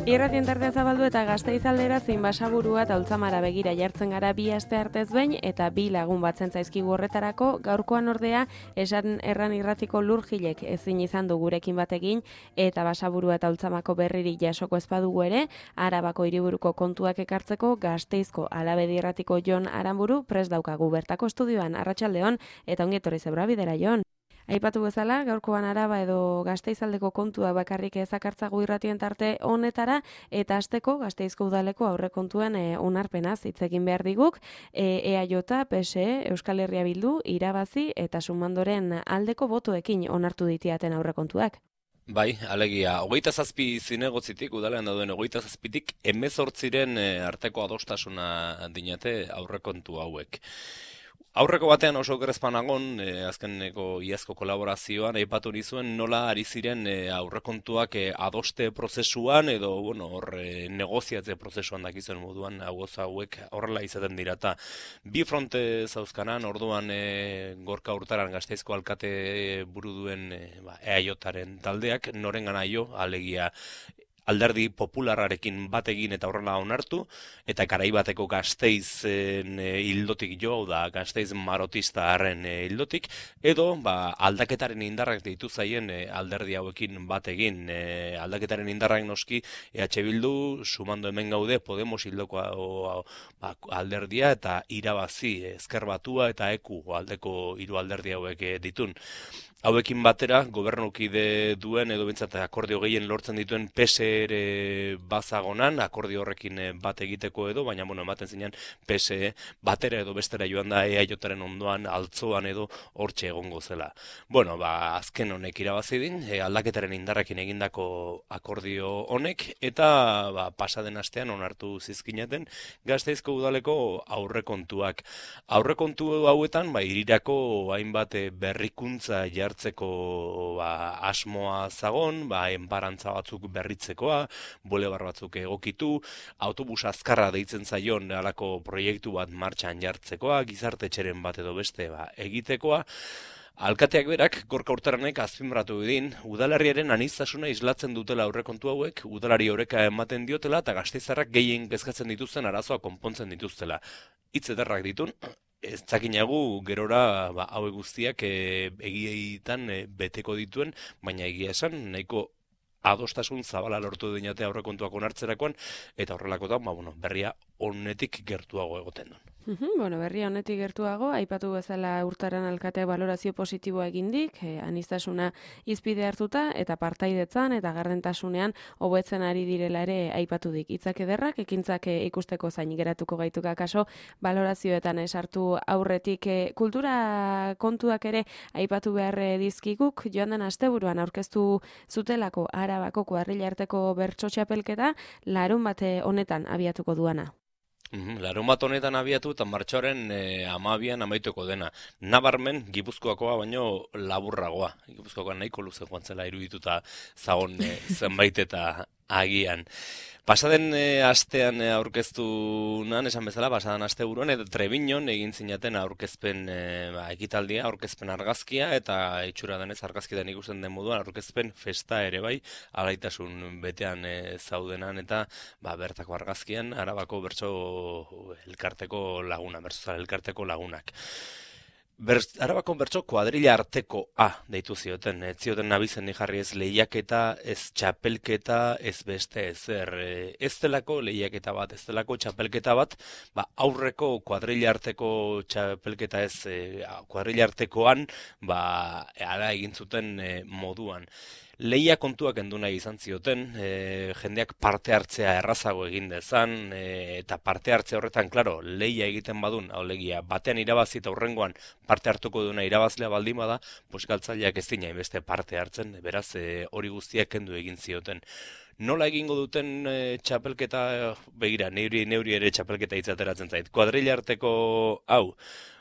Irratien tartea zabaldu eta Gasteiz aldera zein Basaburua eta Ultzamara begira jartzen gara bi aste artez behin eta bi lagun batzen zaizkigu horretarako. Gaurkoan ordea esan erran irratiko lurjilek ezin izan du gurekin batekin eta Basaburua eta Ultzamako berriri jasoko ezpadugu ere, Arabako hiriburuko kontuak ekartzeko Gasteizko Alabedi irratiko Jon Aranburu prest daukagu bertako estudioan. Arratsaldeon eta ongi etorri zebra bidera, Jon. Aipatu bezala, gaurkoan Araba edo Gasteizaldeko kontua bakarrik ezakartzagu irratien tarte honetara, eta hasteko Gasteizko udaleko aurrekontuen onarpenaz hitz egin behar diguk, EAJ, PSE, Euskal Herria Bildu, irabazi eta sumandoren aldeko botoekin onartu ditiaten aurrekontuak. Bai, alegia, 27 zinegotzitik, udalean dauden 27tik, 18 arteko adostasuna dinate aurrekontu hauek. Aurreko batean oso grezpanagon, azkeneko iazko kolaborazioan, aipatu nizuen nola ari ziren aurrekontuak adoste prozesuan edo negoziatze prozesuan dakizuen moduan hauek horrela izaten dira. Bi fronte zauzkanan, orduan Gorka Hurtaran Gasteizko alkate buru duen EAJaren taldeak, norengana jo, alegia alderdi popularrarekin bat egin eta horrela onartu, eta garaibateko Gasteizen hildotik jo, da Gasteiz marotista harren hildotik, edo aldaketaren indarrak deitu zaien alderdi hauekin bat egin. Aldaketaren indarrak noski EH Bildu, sumando hemen gaude, Podemos hildoko alderdia eta irabazi, Ezker Batua eta EKU aldeko hiru alderdi hauek ditun. Hauekin batera, gobernukide duen edo bintzat akordio gehien lortzen dituen PSE ere bazagonan, akordio horrekin bat egiteko edo, baina ematen zinean PSE batera edo bestera joan da EAJaren ondoan, altzoan edo hortxe egongo zela. Azken honek irabazi din, aldaketaren indarrekin egindako akordio honek, eta pasaden astean onartu zizkinaten Gasteizko udaleko aurrekontuak. Aurrekontu hauetan, hirirako hainbat berrikuntza jartzeko asmoa zagon, enparantza batzuk berritzekoa, bulebar batzuk egokitu, autobus azkarra deitzen zaion halako proiektu bat martxan jartzekoa, gizarte txeren bat edo beste egitekoa. Alkateak berak, Gorka Hurtaranek azpimarratu edin, udalerriaren aniztasuna islatzen dutela aurrekontu hauek, udalari oreka ematen diotela eta gasteizarrak gehien kezkatzen dituzten arazoa konpontzen dituztela. Hitz ederrak ditun, ez zakinagu gerora hauek guztiak egietan beteko dituen, baina egia esan nahiko adostasun zabala lortu dinate aurrekontuak onartzerakoan, eta horrelakotan berria honetik gertuago egoten duen. Berria honetik gertuago, aipatu bezala Hurtaran alkateak balorazio positiboa egindik, aniztasuna hizpide hartuta eta partaidetzan eta gardentasunean hobetzen ari direla ere aipatu dik. Hitzak ederrak, ekintzak ikusteko zain geratuko gaituka kaso, balorazioetan esartu aurretik kultura kontuak ere aipatu behar dizkiguk, joan den asteburuan aurkeztu zutelako Arabako kuadrilla arteko bertso txapelketa, larunbat honetan abiatuko duana. Larunbat honetan abiatu eta martxoaren 12an amaituko dena. Nabarmen, Gipuzkoakoa baino laburragoa. Gipuzkoakoa nahiko luze joan zela irudituta zagon zenbait eta agian. Pasaden astean aurkeztu nan, esan bezala, pasaden asteburuan, eta Trebiñon egin zinaten aurkezpen ekitaldia, aurkezpen argazkia, eta itxura denez argazkietan ikusten den moduan, aurkezpen festa ere bai, alaitasun betean zaudenan, eta bertako argazkian, Arabako bertso elkarteko laguna, bertzozal elkarteko lagunak. Arabako bertso kuadrilla arteko deitu zioten, ez zioten nabizen jarri ez lehiaketa, ez txapelketa, ez beste ezer, ez delako lehiaketa bat, ez delako txapelketa bat, aurreko kuadrilla arteko txapelketa ez, kuadrilla artekoan, ala egin zuten moduan. Lehia kontuak endu nahi izan zioten, jendeak parte hartzea errazago egin dezan, eta parte hartzea horretan, klaro, lehia egiten badun, alegia, batean irabazi eta hurrengoan parte hartuko duna irabazlea baldin bada, galtzaileak ez dina beste parte hartzen, beraz hori guztiak kendu egin zioten. Nola egingo duten txapelketa, begira, neuri ere txapelketa itzateratzen zait, kuadrilla arteko hau,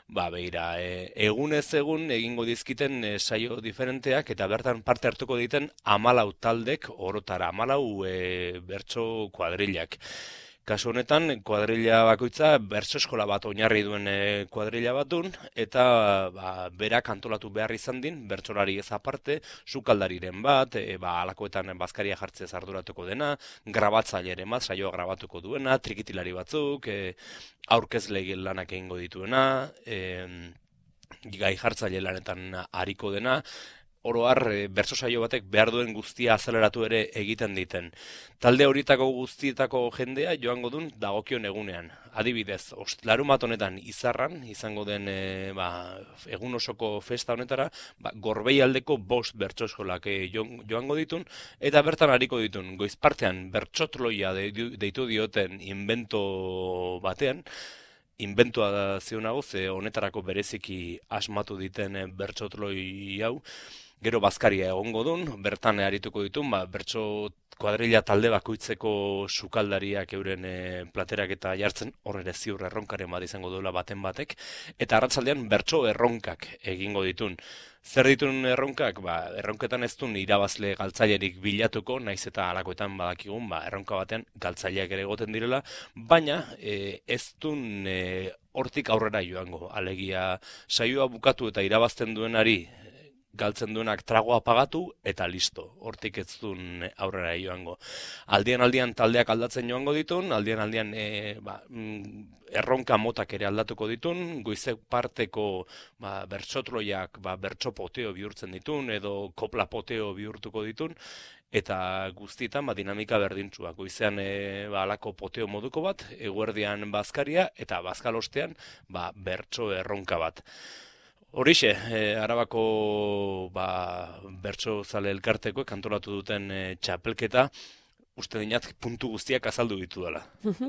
begira, egunez egun egingo dizkiten saio diferenteak eta bertan parte hartuko diten 14 taldek, orotara 14 bertso kuadrillak. Kasu honetan, kuadrilla bakoitza bertso eskola bat oinarri duen kuadrilla batun, eta berak antolatu behar izan din, bertsolari ez aparte, sukaldariren bat, alakoetan bazkaria jartzez arduratuko dena, grabatzaileren bat, saioa grabatuko duena, trikitilari batzuk, aurkezle lanak egingo dituena, gai jartzaile lanetan ariko dena, oro har, bertso saio batek behar duen guztia azaleratu ere egiten diten. Talde horietako guztietako jendea joango duen dagokion egunean. Adibidez, larunbat honetan Izarran, izango den egun osoko festa honetara, Gorbei aldeko 5 bertso eskolak joango ditun, eta bertan ariko ditun, goizpartean bertsotloia deitu dioten invento batean, inventua zionago, ze honetarako bereziki asmatu diten bertsotloi hau, gero bazkaria egongo dun, bertan arituko ditun, bertso kuadrilla talde bakoitzeko sukaldariak euren platerak eta jartzen, hor ere ziur erronkaren bat izango duela baten batek, eta arratsaldean bertso erronkak egingo ditun. Zer ditun erronkak? Erronketan ez duen irabazle galtzailerik bilatuko, naiz eta alakoetan badakigun, erronka batean galtzaileak ere egoten direla, baina ez duen hortik aurrera joango. Alegia saioa bukatu eta irabazten duenari galtzen duenak tragoa pagatu eta listo. Hortik ez duen aurrera joango. Aldian taldeak aldatzen joango ditun, aldian erronka motak ere aldatuko ditun, goizek parteko bertsotloiak bertso poteo bihurtzen ditun, edo kopla poteo bihurtuko ditun, eta guztietan dinamika berdintsua. Goizean alako poteo moduko bat, eguerdian bazkaria, eta bazkalostean bertso erronka bat. Horixe, Arabako bertso zale elkarteko kantolatu duten txapelketa, uste dinat puntu guztiak azaldu ditu dela.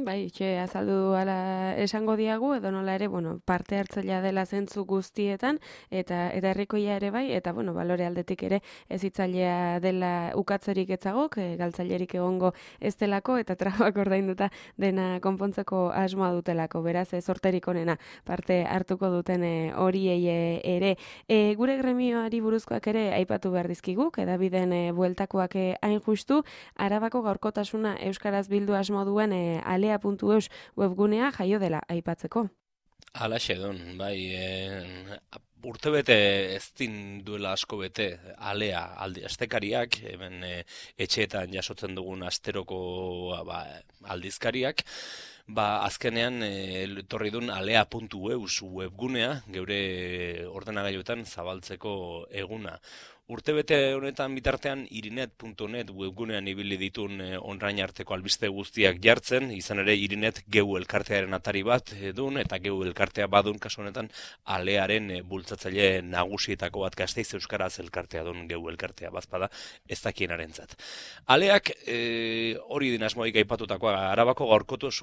Bai, azaldu ala esango diagu, edo nola ere, parte hartzailea dela zentzu guztietan, eta herrikoia ere bai, eta balore aldetik ere ez hitzailea dela ukatzerik etzagok, galtzailerik egongo ez delako, eta trabak ordainduta dena konpontzeko asmoa dutelako, beraz sorterik onena parte hartuko duten horiei ere. Gure gremioari buruzkoak ere aipatu behar dizkiguk, edabideen bueltakoak hain justu, Arabako gaurkotasuna euskaraz bildu asmo duen alea.eus webgunea jaio dela aipatzeko. Halaxe don, bai, urtebete ez din duela asko bete alea astekariak, hemen etxeetan jasotzen dugun asteroko aldizkariak, azkenean etorri duen alea.eus webgunea, geure ordenagailuetan zabaltzeko eguna. Urtebete honetan bitartean irinet.net webgunean ibili ditun onrain arteko albiste guztiak jartzen, izan ere irinet geu elkartearen atari bat dun, eta geu elkartea badun kasu honetan alearen bultzatzaile nagusietako bat Gasteiz euskaraz elkartea dun geu elkartea bazpada ez dakienarentzat. Aleak hori din asmoik aipatutakoa, Arabako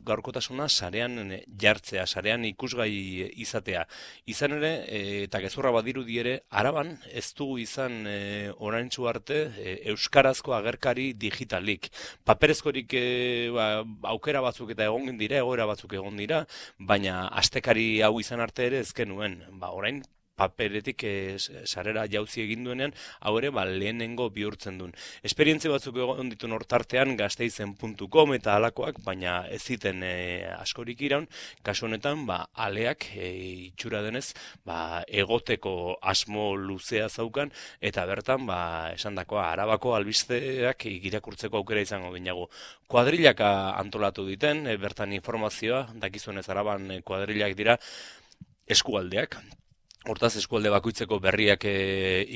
gaurkotasuna sarean jartzea, sarean ikusgai izatea. Izan ere, eta gezurra badirudi ere, Araban ez dugu izan oraintsu arte euskarazko agerkari digitalik. Paperezkorik aukera batzuk eta egon dira, egoera batzuk egon dira, baina astekari hau izan arte ere ez genuen. Orain paperetik sarera jauzi egin duenean, hau ere lehenengo bihurtzen duen. Esperientzia batzuk egon dituen hortartean gasteizen.com eta alakoak, baina ez ziten askorik iraun, kasu honetan aleak itxura denez egoteko asmo luzea zaukan, eta bertan esandakoa Arabako albisteak irakurtzeko aukera izango ginago. Kuadrillak antolatu diten, bertan informazioa, dakizuenez Araban kuadrillak dira eskualdeak. Hortaz, eskualde bakoitzeko berriak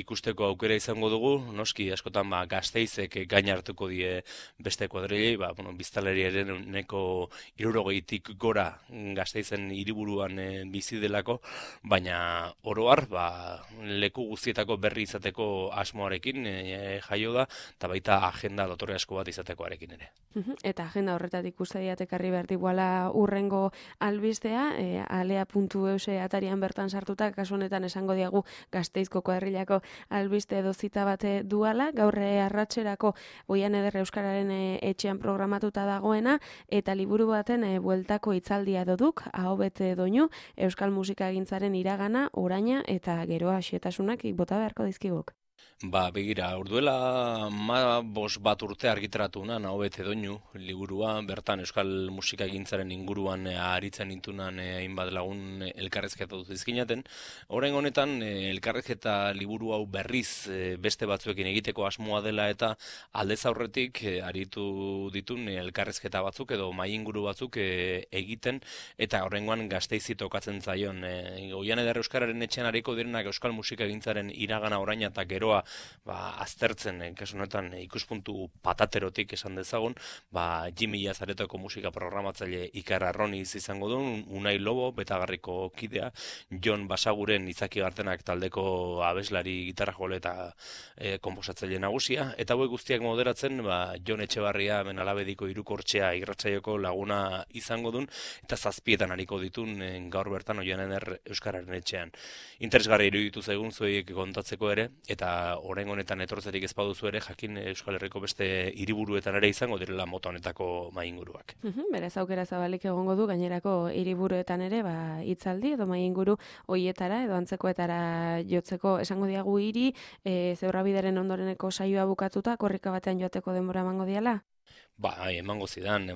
ikusteko aukera izango dugu, noski askotan Gasteizek gain hartuko die beste kuadrilei, biztanleri ere neko 60tik gora Gasteizen hiriburuan bizi delako, baina oro har leku guztietako berri izateko asmoarekin jaio da, eta baita agenda dotore asko bat izatekoarekin ere. Eta agenda horretatik uste diatekarri behar diguala urrengo albistea, alea.eus atarian bertan sartuta, kasu honetan esango diagu Gasteizko kuadrillako albiste edo zita bate duala, gaur arratserako Oian Eder Euskararen etxean programatuta dagoena, eta liburu baten bueltako hitzaldia doduk, aho bete doinu, euskal musikagintzaren iragana, oraina eta geroa xetasunak bota beharko dizkiguk. Begira, urduela bat urte argitaratu nan, hau bete doinu, liburua, bertan euskal musika egintzaren inguruan aritzen intunan hainbat lagun elkarrezketa dut izkinaten. Orain honetan, elkarrezketa liburu hau berriz beste batzuekin egiteko asmoa dela eta aldez aurretik aritu ditun elkarrezketa batzuk edo mai inguru batzuk egiten eta horrengoan Gasteizi tokatzen zaion. Oian eder euskararen etxean ariko direnak euskal musika egintzaren iragana oraina eta geroa aztertzen, kasu honetan ikuspuntu pataterotik esan dezagun, Jimmy Jazaretoko musika programatzaile Ikar Arroniz izango duen, Unai Lobo, Betagarriko kidea, Jon Basaguren Izaki Gartenak taldeko abeslari, gitarra jole eta konposatzaile nagusia, eta hauek guztiak moderatzen, Jon Etxebarria, Benalabediko Hirukortxea irratsaioko laguna izango duen, eta 7 ariko ditun gaur bertan Oian eder euskararen etxean. Interesgarri iruditu zaigun zuek kontatzeko ere, eta orain honetan etortzerik ez baduzu ere, jakin Euskal Herriko beste hiriburuetan ere izango direla mota honetako mai inguruak. Beraz aukera zabalik egongo du gainerako hiriburuetan ere hitzaldi edo mai inguru hoietara edo antzekoetara jotzeko esango diagu hiri Zebrabideren ondoreneko saioa bukatuta korrika batean joateko denbora emango diala? Emango zidan,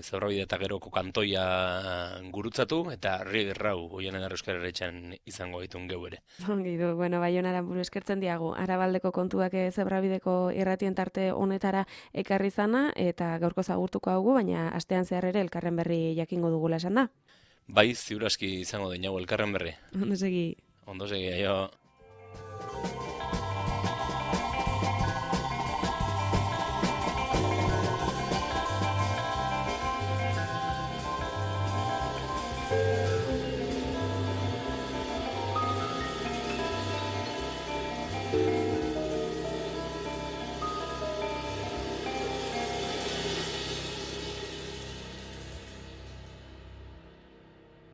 Zebrabide eta geroko kantoia gurutzatu, eta Rigerrau, Oian eder euskararen etxean izango ditun geu ere. Ongi du, Baionara buru eskertzen diagu, Arabaldeko kontuak Zebrabideko irratien tarte honetara ekarri zana, eta gaurko zagurtuko haugu, baina astean zehar ere elkarren berri jakingo dugula esan da. Ziur aski izango denago elkarren berri. Ondo segi. Ondo segi, aio.